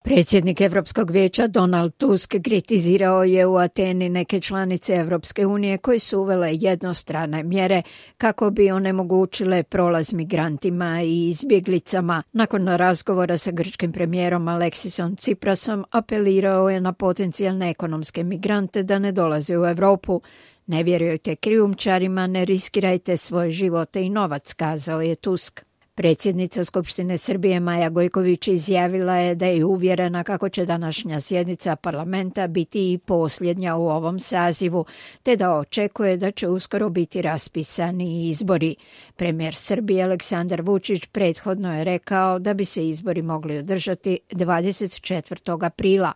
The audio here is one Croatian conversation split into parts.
Predsjednik Europskog vijeća Donald Tusk kritizirao je u Ateni neke članice Europske unije koje su uvele jednostrane mjere kako bi onemogućile prolaz migrantima i izbjeglicama. Nakon razgovora sa grčkim premijerom Aleksisom Tsiprasom apelirao je na potencijalne ekonomske migrante da ne dolaze u Europu. Ne vjerujte krijumčarima, ne riskirajte svoje živote i novac, kazao je Tusk. Predsjednica Skupštine Srbije Maja Gojković izjavila je da je uvjerena kako će današnja sjednica parlamenta biti i posljednja u ovom sazivu, te da očekuje da će uskoro biti raspisani izbori. Premijer Srbije Aleksandar Vučić prethodno je rekao da bi se izbori mogli održati 24. aprila.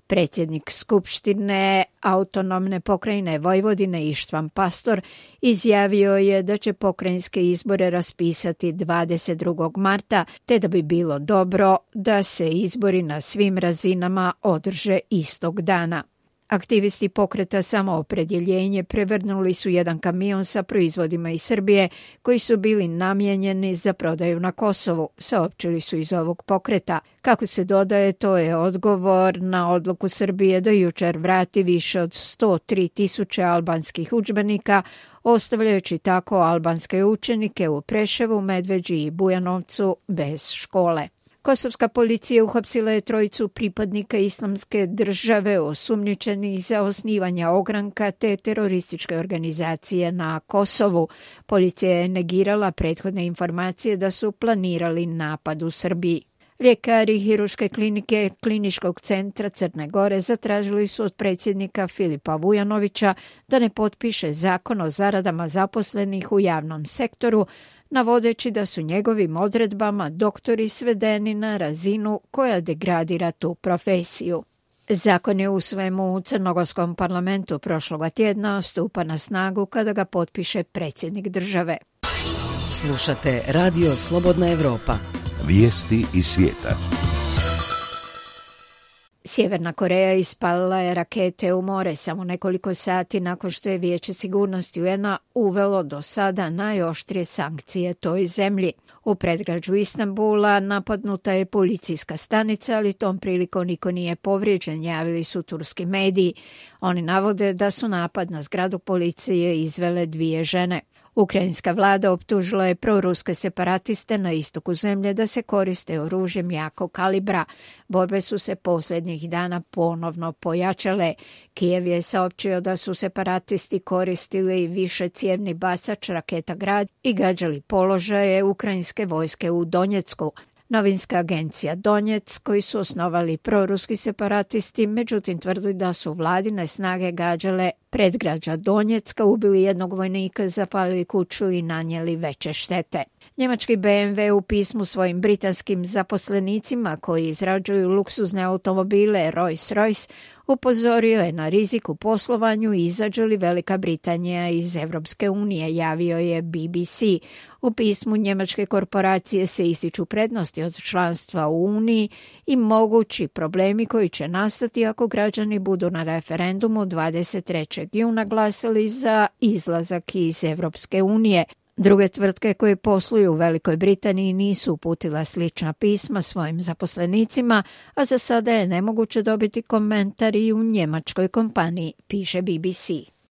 Predsjednik Skupštine autonomne pokrajine Vojvodine Ištvan Pastor izjavio je da će pokrajinske izbore raspisati 22. marta, te da bi bilo dobro da se izbori na svim razinama održe istog dana. Aktivisti pokreta Samoopredjeljenje prevrnuli su jedan kamion sa proizvodima iz Srbije koji su bili namijenjeni za prodaju na Kosovu, saopćili su iz ovog pokreta. Kako se dodaje, to je odgovor na odluku Srbije da jučer vrati više od 103.000 albanskih udžbenika, ostavljajući tako albanske učenike u Preševu, Medveđi i Bujanovcu bez škole. Kosovska policija uhapsila je trojicu pripadnika Islamske države osumnjičenih za osnivanje ogranka te terorističke organizacije na Kosovu. Policija je negirala prethodne informacije da su planirali napad u Srbiji. Ljekari Hiruške klinike Kliničkog centra Crne Gore zatražili su od predsjednika Filipa Vujanovića da ne potpiše zakon o zaradama zaposlenih u javnom sektoru, navodeći da su njegovim odredbama doktori svedeni na razinu koja degradira tu profesiju. Zakon je usvojen u Crnogorskom parlamentu prošloga tjedna, stupa na snagu kada ga potpiše predsjednik države. Slušate Radio Slobodna Evropa. Vijesti iz svijeta. Sjeverna Koreja ispalila je rakete u more samo nekoliko sati nakon što je Vijeće sigurnosti UN-a uvelo do sada najoštrije sankcije toj zemlji. U predgrađu Istanbula napadnuta je policijska stanica, ali tom prilikom niko nije povrijeđen, javili su turski mediji. Oni navode da su napad na zgradu policije izvele 2 žene. Ukrajinska vlada optužila je proruske separatiste na istoku zemlje da se koriste oružjem jakog kalibra. Borbe su se posljednjih dana ponovno pojačale. Kijev je saopćio da su separatisti koristili višecijevni bacač raketa Grad i gađali položaje ukrajinske vojske u Donjecku. Novinska agencija Donjec, koji su osnovali proruski separatisti, međutim tvrdi da su vladine snage gađale predgrađa Donjecka, ubili jednog vojnika, zapalili kuću i nanijeli veće štete. Njemački BMW u pismu svojim britanskim zaposlenicima koji izrađuju luksuzne automobile Rolls-Royce upozorio je na rizik u poslovanju izađe li Velika Britanija iz Europske unije, javio je BBC. U pismu njemačke korporacije se ističu prednosti od članstva u Uniji i mogući problemi koji će nastati ako građani budu na referendumu 23. juna glasali za izlazak iz Europske unije. Druge tvrtke koje posluju u Velikoj Britaniji nisu uputila slična pisma svojim zaposlenicima, a za sada je nemoguće dobiti komentar i u njemačkoj kompaniji, piše BBC.